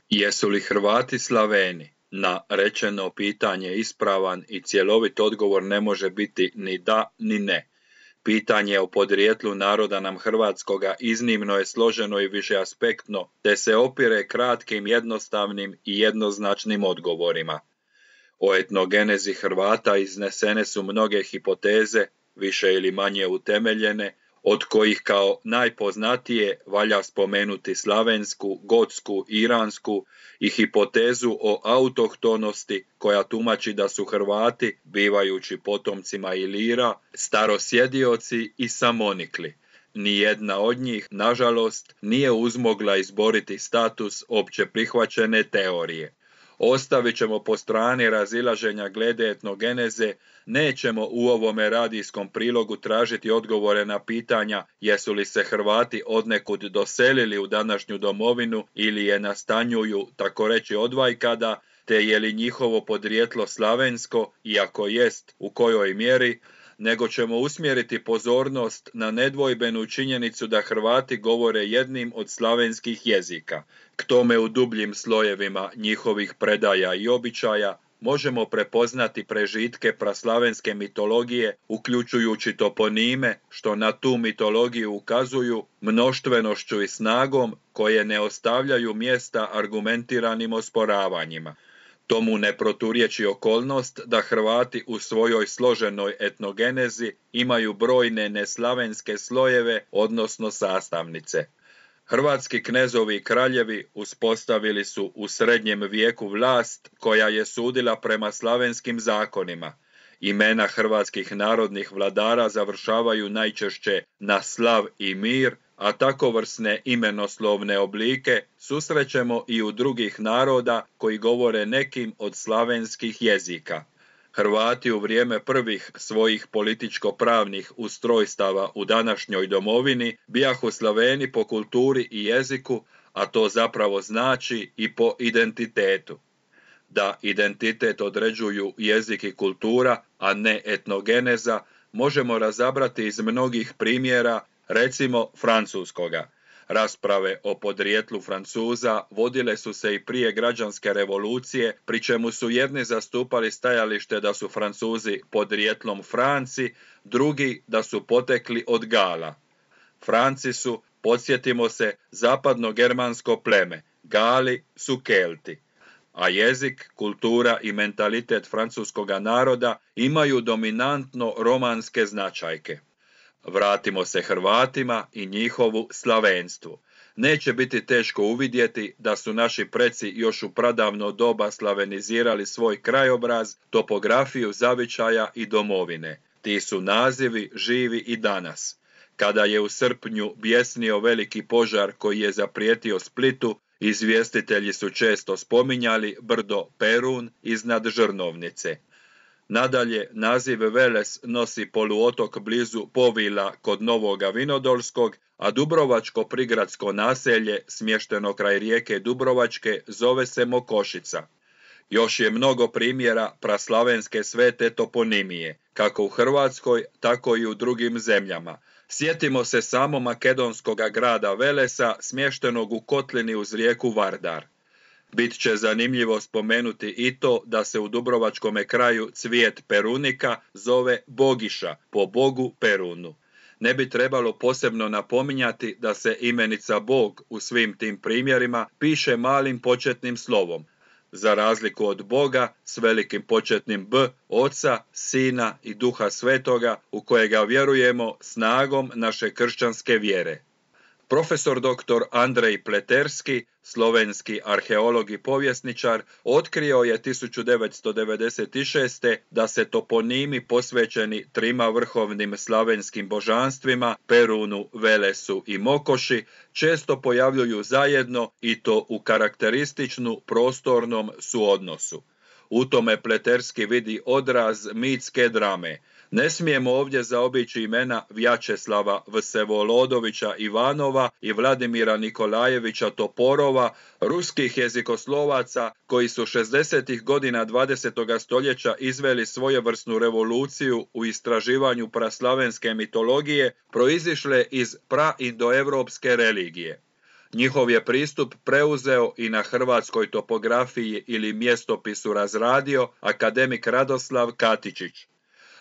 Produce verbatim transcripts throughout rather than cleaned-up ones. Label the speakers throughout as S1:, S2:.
S1: Jesu li Hrvati Slaveni? Na rečeno pitanje ispravan i cjelovit odgovor ne može biti ni da ni ne. Pitanje o podrijetlu naroda nam hrvatskoga iznimno je složeno i višeaspektno, te se opire kratkim, jednostavnim i jednoznačnim odgovorima. O etnogenezi Hrvata iznesene su mnoge hipoteze, više ili manje utemeljene, od kojih kao najpoznatije valja spomenuti slavensku, gotsku, iransku i hipotezu o autohtonosti koja tumači da su Hrvati, bivajući potomcima Ilira, starosjedioci i samonikli. Nijedna od njih, nažalost, nije uzmogla izboriti status opće prihvaćene teorije. Ostavit ćemo po strani razilaženja glede etnogeneze, nećemo u ovome radijskom prilogu tražiti odgovore na pitanja jesu li se Hrvati odnekud doselili u današnju domovinu ili je nastanjuju, tako reći, odvajkada, te je li njihovo podrijetlo slavensko i ako jest, u kojoj mjeri, nego ćemo usmjeriti pozornost na nedvojbenu činjenicu da Hrvati govore jednim od slavenskih jezika. K tome u dubljim slojevima njihovih predaja i običaja možemo prepoznati prežitke praslavenske mitologije, uključujući toponime, što na tu mitologiju ukazuju mnoštvenošću i snagom koje ne ostavljaju mjesta argumentiranim osporavanjima. Tomu ne proturječi okolnost da Hrvati u svojoj složenoj etnogenezi imaju brojne neslavenske slojeve, odnosno sastavnice. Hrvatski knezovi i kraljevi uspostavili su u srednjem vijeku vlast koja je sudila prema slavenskim zakonima. Imena hrvatskih narodnih vladara završavaju najčešće na slav i mir, a takovrsne imenoslovne oblike susrećemo i u drugih naroda koji govore nekim od slavenskih jezika. Hrvati u vrijeme prvih svojih političko-pravnih ustrojstava u današnjoj domovini bijahu Slaveni po kulturi i jeziku, a to zapravo znači i po identitetu. Da identitet određuju jezik i kultura, a ne etnogeneza, možemo razabrati iz mnogih primjera, recimo francuskoga. Rasprave o podrijetlu Francuza vodile su se i prije građanske revolucije, pri čemu su jedni zastupali stajalište da su Francuzi podrijetlom Franci, drugi da su potekli od Gala. Franci su, podsjetimo se, zapadno-germansko pleme, Gali su Kelti. A jezik, kultura i mentalitet francuskoga naroda imaju dominantno romanske značajke. Vratimo se Hrvatima i njihovu slavenstvu. Neće biti teško uvidjeti da su naši preci još u pradavno doba slavenizirali svoj krajobraz, topografiju zavičaja i domovine. Ti su nazivi živi i danas. Kada je u srpnju bjesnio veliki požar koji je zaprijetio Splitu, izvjestitelji su često spominjali brdo Perun iznad Žrnovnice. Nadalje, naziv Veles nosi poluotok blizu Povila kod Novoga Vinodolskog, a dubrovačko prigradsko naselje, smješteno kraj rijeke Dubrovačke, zove se Mokošica. Još je mnogo primjera praslavenske svete toponimije, kako u Hrvatskoj, tako i u drugim zemljama. Sjetimo se samo makedonskoga grada Velesa, smještenog u kotlini uz rijeku Vardar. Bit će zanimljivo spomenuti i to da se u dubrovačkome kraju cvijet perunika zove Bogiša, po bogu Perunu. Ne bi trebalo posebno napominjati da se imenica Bog u svim tim primjerima piše malim početnim slovom, za razliku od Boga s velikim početnim B, Oca, Sina i Duha Svetoga, u kojega vjerujemo snagom naše kršćanske vjere. Profesor doktor Andrej Pleterski, slovenski arheolog i povjesničar, otkrio je tisuću devetsto devedeset šeste. da se toponimi posvećeni trima vrhovnim slavenskim božanstvima, Perunu, Velesu i Mokoši, često pojavljuju zajedno i to u karakterističnu prostornom suodnosu. U tome Pleterski vidi odraz mitske drame. Ne smijemo ovdje zaobići imena Vjačeslava Vsevolodovića Ivanova i Vladimira Nikolajevića Toporova, ruskih jezikoslovaca koji su šezdesetih godina dvadesetog stoljeća izveli svojevrsnu revoluciju u istraživanju praslavenske mitologije proizišle iz praindoevropske religije. Njihov je pristup preuzeo i na hrvatskoj topografiji ili mjestopisu razradio akademik Radoslav Katičić.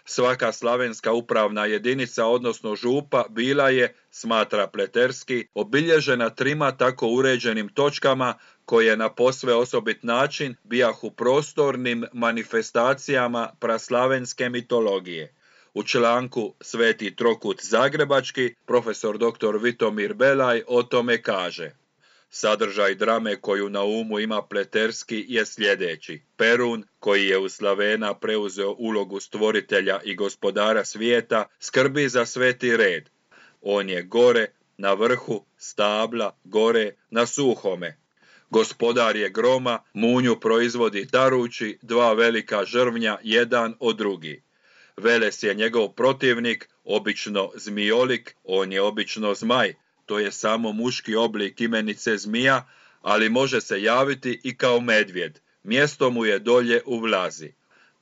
S1: Svaka slavenska upravna jedinica, odnosno župa, bila je, smatra Pleterski, obilježena trima tako uređenim točkama koje na posve osobit način bijahu prostornim manifestacijama praslavenske mitologije. U članku Sveti trokut zagrebački profesor doktor Vitomir Belaj o tome kaže: sadržaj drame koju na umu ima Pleterski je sljedeći. Perun, koji je u Slavena preuzeo ulogu stvoritelja i gospodara svijeta, skrbi za sveti red. On je gore, na vrhu, stabla, gore, na suhome. Gospodar je groma, munju proizvodi tarući, dva velika žrvnja, jedan od drugi. Veles je njegov protivnik, obično zmijolik, on je obično zmaj, to je samo muški oblik imenice zmija, ali može se javiti i kao medvjed. Mjesto mu je dolje u Vlazi.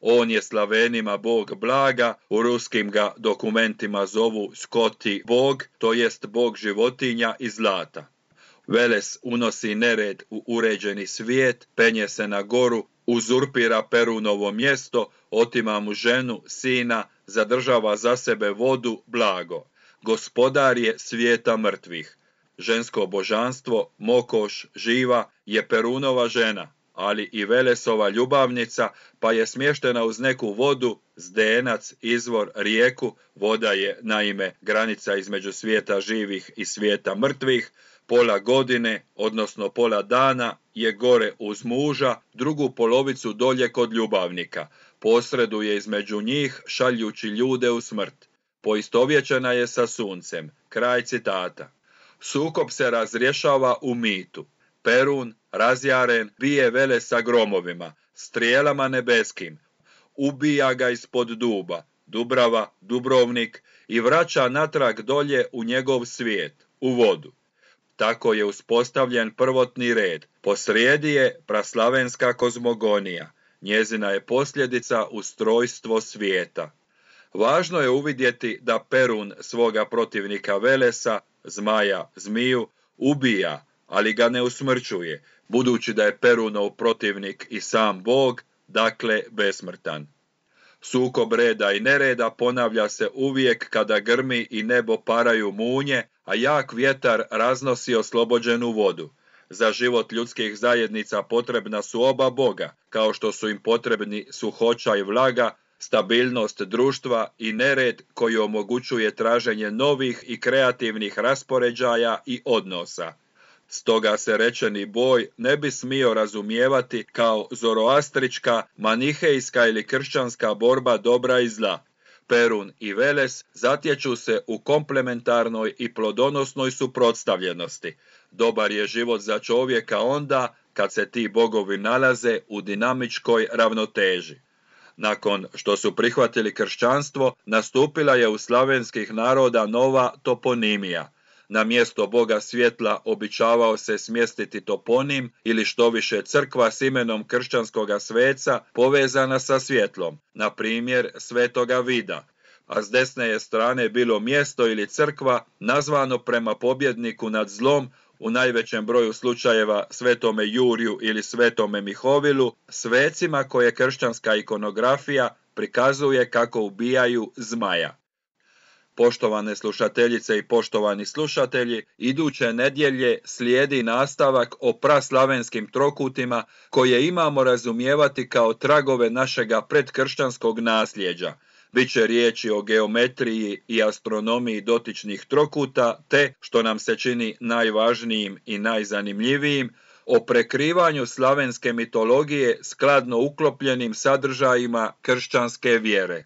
S1: On je Slavenima bog blaga, u ruskim ga dokumentima zovu Skoti bog, to jest bog životinja i zlata. Veles unosi nered u uređeni svijet, penje se na goru, uzurpira Perunovo mjesto, otima mu ženu, sina, zadržava za sebe vodu, blago. Gospodar je svijeta mrtvih. Žensko božanstvo, Mokoš, živa, je Perunova žena, ali i Velesova ljubavnica, pa je smještena uz neku vodu, zdenac, izvor, rijeku. Voda je, naime, granica između svijeta živih i svijeta mrtvih. Pola godine, odnosno pola dana, je gore uz muža, drugu polovicu dolje kod ljubavnika. Posreduje između njih, šaljući ljude u smrt. Poistovjećena je sa suncem. Kraj citata. Sukob se razrješava u mitu. Perun, razjaren, bije Velesa gromovima, strijelama nebeskim. Ubija ga ispod duba, Dubrava, Dubrovnik, i vraća natrag dolje u njegov svijet, u vodu. Tako je uspostavljen prvotni red. Posrijedi je praslavenska kozmogonija. Njezina je posljedica ustrojstvo svijeta. Važno je uvidjeti da Perun svoga protivnika Velesa, zmaja, zmiju, ubija, ali ga ne usmrćuje, budući da je Perunov protivnik i sam Bog, dakle besmrtan. Sukob reda i nereda ponavlja se uvijek kada grmi i nebo paraju munje, a jak vjetar raznosi oslobođenu vodu. Za život ljudskih zajednica potrebna su oba Boga, kao što su im potrebni suhoća i vlaga, stabilnost društva i nered koji omogućuje traženje novih i kreativnih raspoređaja i odnosa. Stoga se rečeni boj ne bi smio razumijevati kao zoroastrička, manihejska ili kršćanska borba dobra i zla. Perun i Veles zatječu se u komplementarnoj i plodonosnoj suprotstavljenosti. Dobar je život za čovjeka onda kad se ti bogovi nalaze u dinamičkoj ravnoteži. Nakon što su prihvatili kršćanstvo, nastupila je u slavenskih naroda nova toponimija. Na mjesto Boga svjetla običavao se smjestiti toponim ili štoviše crkva s imenom kršćanskoga sveca povezana sa svjetlom, na primjer Svetoga Vida, a s desne je strane bilo mjesto ili crkva nazvano prema pobjedniku nad zlom, u najvećem broju slučajeva Svetome Juriju ili Svetome Mihovilu, svecima koje kršćanska ikonografija prikazuje kako ubijaju zmaja. Poštovane slušateljice i poštovani slušatelji, iduće nedjelje slijedi nastavak o praslavenskim trokutima koje imamo razumijevati kao tragove našega predkršćanskog nasljeđa. Biće riječi o geometriji i astronomiji dotičnih trokuta, te, što nam se čini najvažnijim i najzanimljivijim, o prekrivanju slavenske mitologije skladno uklopljenim sadržajima kršćanske vjere.